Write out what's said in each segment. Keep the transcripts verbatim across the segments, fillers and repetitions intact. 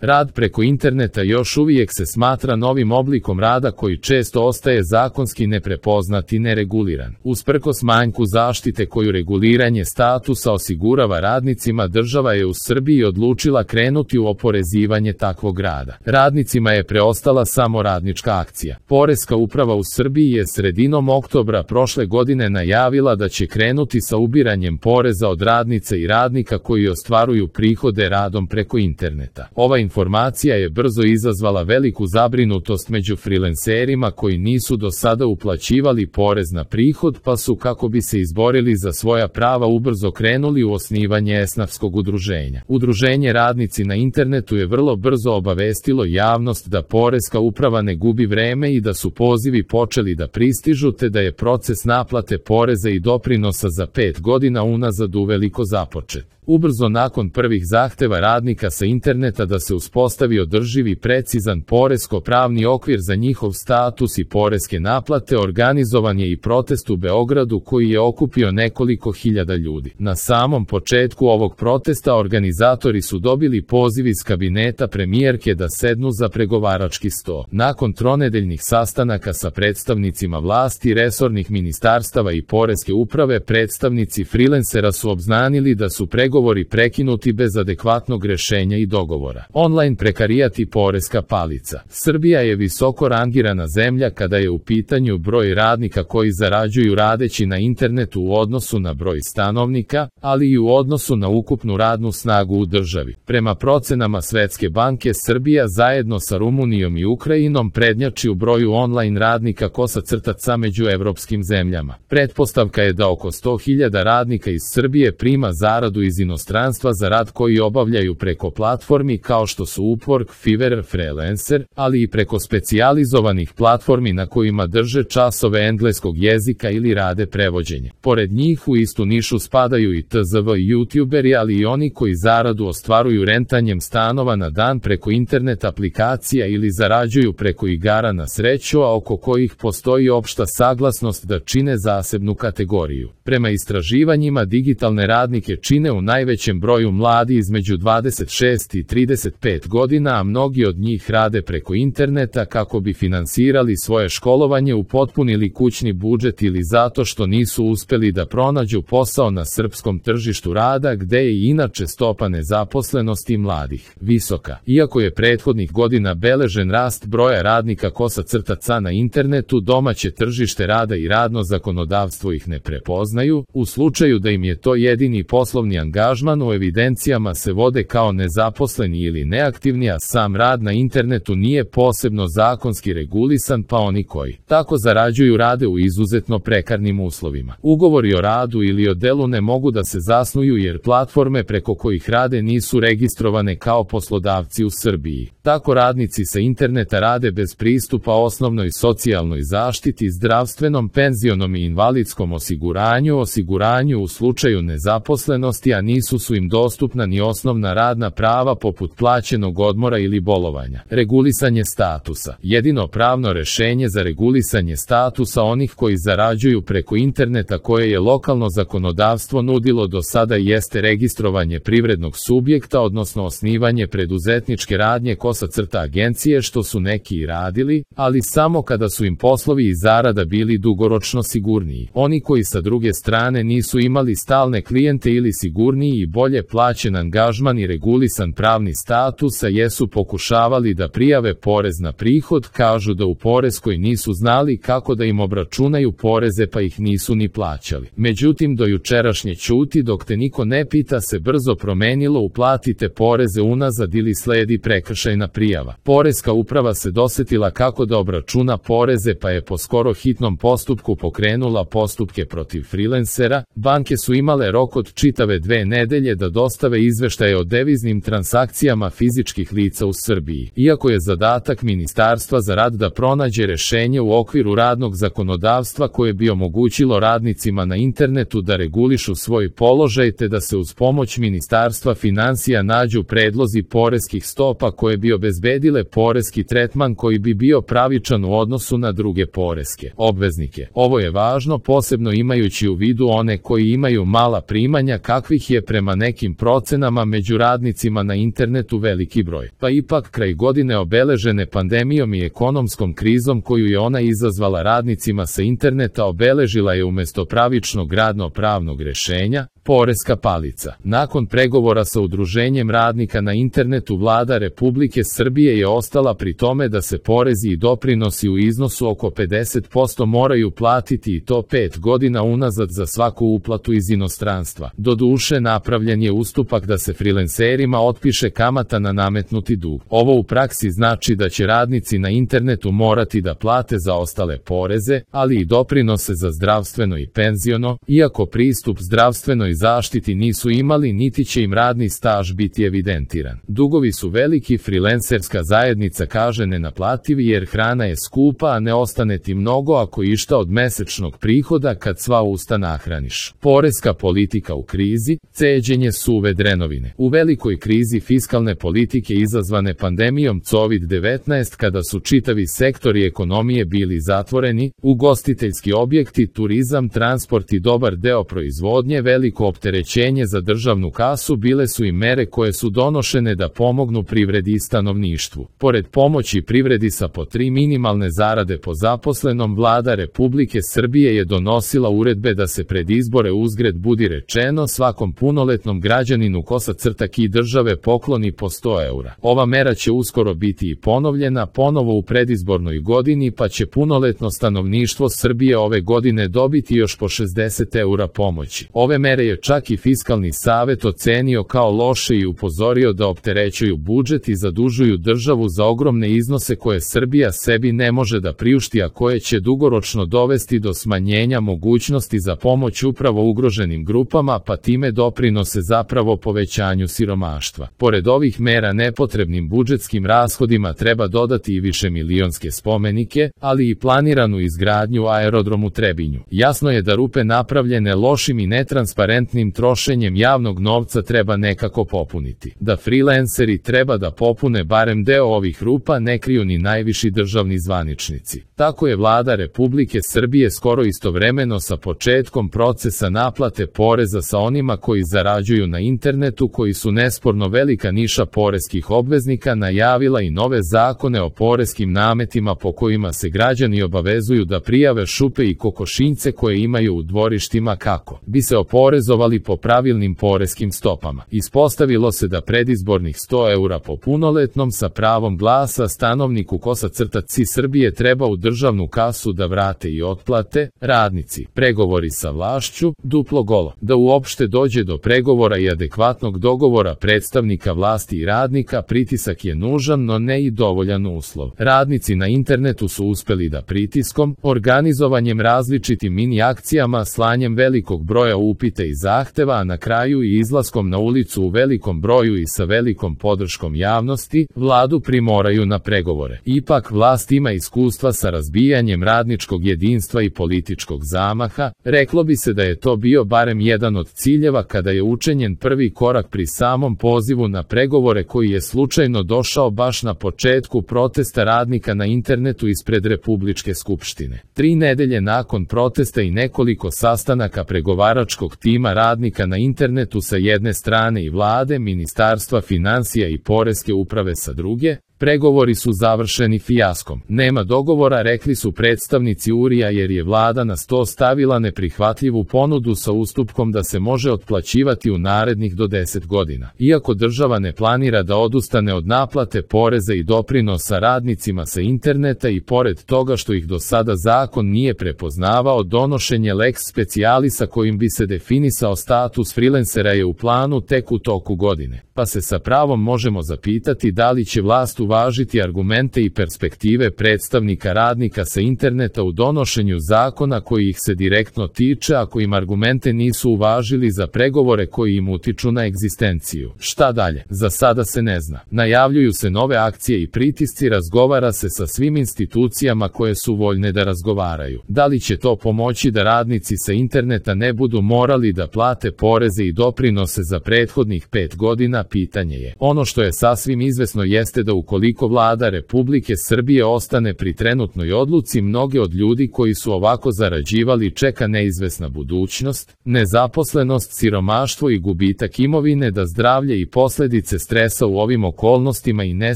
Rad preko interneta još uvijek se smatra novim oblikom rada koji često ostaje zakonski neprepoznat i nereguliran. Usprkos manjku zaštite koju reguliranje statusa osigurava radnicima, država je u Srbiji odlučila krenuti u oporezivanje takvog rada. Radnicima je preostala samo radnička akcija. Poreska uprava u Srbiji je sredinom oktobra prošle godine najavila da će krenuti sa ubiranjem poreza od radnica i radnika koji ostvaruju prihode radom preko interneta. Ova informacija je brzo izazvala veliku zabrinutost među frilenserima koji nisu do sada uplaćivali porez na prihod, pa su, kako bi se izborili za svoja prava, ubrzo krenuli u osnivanje esnafskog udruženja. Udruženje Radnici na internetu je vrlo brzo obavestilo javnost da poreska uprava ne gubi vreme i da su pozivi počeli da pristižu, te da je proces naplate poreza i doprinosa za pet godina unazad uveliko započet. Ubrzo nakon prvih zahteva radnika sa interneta da se uspostavi održiv i precizan poresko-pravni okvir za njihov status i poreske naplate, organizovan je i protest u Beogradu koji je okupio nekoliko hiljada ljudi. Na samom početku ovog protesta organizatori su dobili poziv iz kabineta premijerke da sednu za pregovarački sto. Nakon tronedeljnih sastanaka sa predstavnicima vlasti, resornih ministarstava i poreske uprave, predstavnici frilensera su obznanili da su pregovori Pregovori prekinuti bez adekvatnog rešenja i dogovora. Online prekarijat i poreska palica. Srbija je visoko rangirana zemlja kada je u pitanju broj radnika koji zarađuju radeći na internetu u odnosu na broj stanovnika, ali i u odnosu na ukupnu radnu snagu u državi. Prema procenama Svetske banke, Srbija zajedno sa Rumunijom i Ukrajinom prednjači u broju online radnika kosa crtaca među evropskim zemljama. Pretpostavka je da oko sto hiljada radnika iz Srbije prima zaradu iz inostranstva za rad koji obavljaju preko platformi kao što su Upwork, Fiverr, Freelancer, ali i preko specijalizovanih platformi na kojima drže časove engleskog jezika ili rade prevođenje. Pored njih u istu nišu spadaju i T Z V youtuberi, ali i oni koji zaradu ostvaruju rentanjem stanova na dan preko internet aplikacija ili zarađuju preko igara na sreću, a oko kojih postoji opšta saglasnost da čine zasebnu kategoriju. Prema istraživanjima, digitalne radnike čine u najvećem broju mladi između dvadeset šest i trideset pet godina, a mnogi od njih rade preko interneta kako bi finansirali svoje školovanje, upotpunili kućni budžet ili zato što nisu uspeli da pronađu posao na srpskom tržištu rada, gde je i inače stopa nezaposlenosti mladih visoka. Iako je prethodnih godina beležen rast broja radnika kosa crtaca na internetu, domaće tržište rada i radno zakonodavstvo ih ne prepoznaju. U slučaju da im je to jedini poslovni angažman, u evidencijama se vode kao nezaposleni ili neaktivni, a sam rad na internetu nije posebno zakonski regulisan, pa oni koji tako zarađuju rade u izuzetno prekarnim uslovima. Ugovori o radu ili o delu ne mogu da se zasnuju jer platforme preko kojih rade nisu registrovane kao poslodavci u Srbiji. Tako radnici sa interneta rade bez pristupa osnovnoj socijalnoj zaštiti, zdravstvenom, penzionom i invalidskom osiguranju, osiguranju u slučaju nezaposlenosti, a nisu su im dostupna ni osnovna radna prava poput plaćenog odmora ili bolovanja. Regulisanje statusa. Jedino pravno rešenje za regulisanje statusa onih koji zarađuju preko interneta koje je lokalno zakonodavstvo nudilo do sada jeste registrovanje privrednog subjekta, odnosno osnivanje preduzetničke radnje kosa crta agencije, što su neki i radili, ali samo kada su im poslovi i zarada bili dugoročno sigurniji. Oni koji sa druge strane nisu imali stalne klijente ili sigurniji i bolje plaćen angažman i regulisan pravni status, a jesu pokušavali da prijave porez na prihod, kažu da u poreskoj nisu znali kako da im obračunaju poreze pa ih nisu ni plaćali. Međutim, do jučerašnje ćuti dok te niko ne pita se brzo promenilo, uplatite poreze unazad ili sledi prekršajna prijava. Poreska uprava se dosetila kako da obračuna poreze pa je po skoro hitnom postupku pokrenula postupke protiv frilensera. Banke su imale rok od čitave dve nedelje da dostave izveštaje o deviznim transakcijama fizičkih lica u Srbiji. Iako je zadatak Ministarstva za rad da pronađe rešenje u okviru radnog zakonodavstva koje bi omogućilo radnicima na internetu da regulišu svoj položaj te da se uz pomoć Ministarstva finansija nađu predlozi poreskih stopa koje bi obezbedile poreski tretman koji bi bio pravičan u odnosu na druge poreske obveznike. Ovo je važno posebno imajući u vidu one koji imaju mala primanja, kakvih je je prema nekim procenama među radnicima na internetu veliki broj. Pa ipak kraj godine obeležene pandemijom i ekonomskom krizom koju je ona izazvala radnicima sa interneta obeležila je umjesto pravičnog radno-pravnog rešenja, poreska palica. Nakon pregovora sa Udruženjem radnika na internetu Vlada Republike Srbije je ostala pri tome da se porezi i doprinosi u iznosu oko pedeset posto moraju platiti i to pet godina unazad za svaku uplatu iz inostranstva. Doduše napravljen je ustupak da se frilenserima otpiše kamata na nametnuti dug. Ovo u praksi znači da će radnici na internetu morati da plate za ostale poreze, ali i doprinose za zdravstveno i penziono, iako pristup zdravstvenoj zaštiti nisu imali niti će im radni staž biti evidentiran. Dugovi su veliki, frilenserska zajednica kaže nenaplativi jer hrana je skupa, a ne ostane ti mnogo ako išta od mesečnog prihoda kad sva usta nahraniš. Poreska politika u krizi, ceđenje suve drenovine. U velikoj krizi fiskalne politike izazvane pandemijom kovid devetnaest kada su čitavi sektori ekonomije bili zatvoreni, ugostiteljski objekti, turizam, transport i dobar deo proizvodnje, veliko opterećenje za državnu kasu bile su i mere koje su donošene da pomognu privredi i stanovništvu. Pored pomoći privredi sa po tri minimalne zarade po zaposlenom, Vlada Republike Srbije je donosila uredbe da se pred izbore uzgred budi rečeno svakom punoletnom građaninu kosa crtak i države pokloni po sto eura. Ova mera će uskoro biti i ponovljena ponovo u predizbornoj godini pa će punoletno stanovništvo Srbije ove godine dobiti još po šezdeset eura pomoći. Ove mere je čak i Fiskalni savet ocenio kao loše i upozorio da opterećuju budžet i zadužuju državu za ogromne iznose koje Srbija sebi ne može da priušti, a koje će dugoročno dovesti do smanjenja mogućnosti za pomoć upravo ugroženim grupama, pa time doprinose zapravo povećanju siromaštva. Pored ovih mera nepotrebnim budžetskim rashodima treba dodati i višemilionske spomenike, ali i planiranu izgradnju aerodromu Trebinju. Jasno je da rupe napravljene lošim i netransparentnim trošenjem javnog novca treba nekako popuniti. Da freelanceri treba da popune barem deo ovih rupa ne kriju ni najviši državni zvaničnici. Tako je Vlada Republike Srbije skoro istovremeno sa početkom procesa naplate poreza sa onima koji zarađuju na internetu, koji su nesporno velika niša poreskih obveznika, najavila i nove zakone o poreskim nametima po kojima se građani obavezuju da prijave šupe i kokošinjce koje imaju u dvorištima kako bi se oporezovali po pravilnim poreskim stopama. Ispostavilo se da predizbornih sto eura po punoletnom sa pravom glasa stanovniku kosa crta ci Srbije treba u državnu kasu da vrate i otplate radnici. Pregovori sa vlašću, duplo golo. Da uopšte dođe do pregovora i adekvatnog dogovora predstavnika vlasti i radnika, pritisak je nužan, no ne i dovoljan uslov. Radnici na internetu su uspeli da pritiskom, organizovanjem različitim mini akcijama, slanjem velikog broja upita i zahteva, a na kraju i izlaskom na ulicu u velikom broju i sa velikom podrškom javnosti, vladu primoraju na pregovore. Ipak vlast ima iskustva sa razbijanjem radničkog jedinstva i političkog zamaha, reklo bi se da je to bio barem jedan od ciljeva kada je učinjen prvi korak pri samom pozivu na pregovore koji je slučajno došao baš na početku protesta radnika na internetu ispred Republičke skupštine. Tri nedelje nakon protesta i nekoliko sastanaka pregovaračkog tima radnika na internetu sa jedne strane i vlade, Ministarstva finansija i Poreske uprave sa druge, pregovori su završeni fijaskom. Nema dogovora, rekli su predstavnici Urija, jer je vlada na sto stavila neprihvatljivu ponudu sa ustupkom da se može otplaćivati u narednih do deset godina. Iako država ne planira da odustane od naplate poreza i doprinosa radnicima sa interneta i pored toga što ih do sada zakon nije prepoznavao, donošenje lex specialisa kojim bi se definisao status freelancera je u planu tek u toku godine. Pa se sa pravom možemo zapitati da li će vlast uvažiti argumente i perspektive predstavnika radnika sa interneta u donošenju zakona koji ih se direktno tiče, ako im argumente nisu uvažili za pregovore koji im utiču na egzistenciju. Šta dalje? Za sada se ne zna. Najavljuju se nove akcije i pritisci, razgovara se sa svim institucijama koje su voljne da razgovaraju. Da li će to pomoći da radnici sa interneta ne budu morali da plate poreze i doprinose za prethodnih pet godina, pitanje je. Ono što je sasvim izvesno jeste da ukoliko vlada Republike Srbije ostane pri trenutnoj odluci, mnoge od ljudi koji su ovako zarađivali čeka neizvesna budućnost, nezaposlenost, siromaštvo i gubitak imovine, da zdravlje i posledice stresa u ovim okolnostima i ne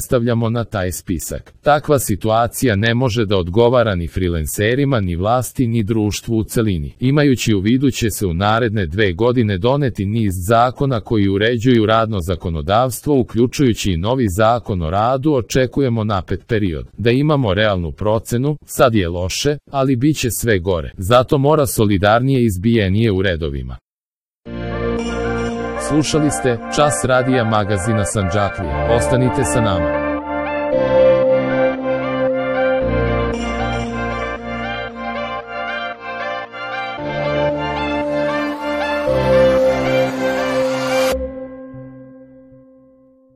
stavljamo na taj spisak. Takva situacija ne može da odgovara ni frilenserima, ni vlasti, ni društvu u celini. Imajući u vidu će se u naredne dve godine doneti niz zakona koji uređuju radno zakonodavstvo, uključujući i novi zakon o radu. Očekujemo napet period. Da imamo realnu procenu, sad je loše, ali bit će sve gore. Zato mora solidarnije izbijenije u redovima. Slušali ste Čas radija magazina Sandžaklija. Ostanite sa nama.